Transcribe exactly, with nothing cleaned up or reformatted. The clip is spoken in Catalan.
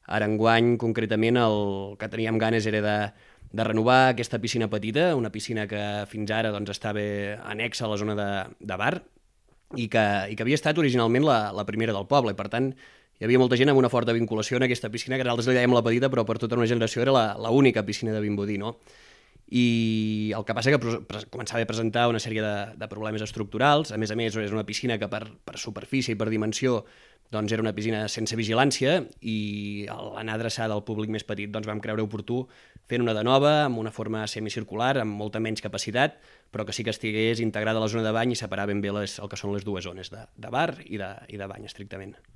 Ara enguany, concretament, el que teníem ganes era de, de renovar aquesta piscina petita, una piscina que fins ara doncs, estava anexa a la zona de, de bar i que, i que havia estat originalment la, la primera del poble. Per tant, hi havia molta gent amb una forta vinculació en aquesta piscina, que nosaltres li dèiem la petita, però per tota una generació era la, la única piscina de Vimbodí, no? I el que passa que començava a presentar una sèrie de, de problemes estructurals. A més a més, és una piscina que per, per superfície i per dimensió doncs era una piscina sense vigilància, i a l'anar adreçada al públic més petit doncs vam creure oportú fent una de nova, amb una forma semicircular, amb molta menys capacitat, però que sí que estigués integrada a la zona de bany i separar ben bé les, el que són les dues zones de, de bar i de, i de bany, estrictament.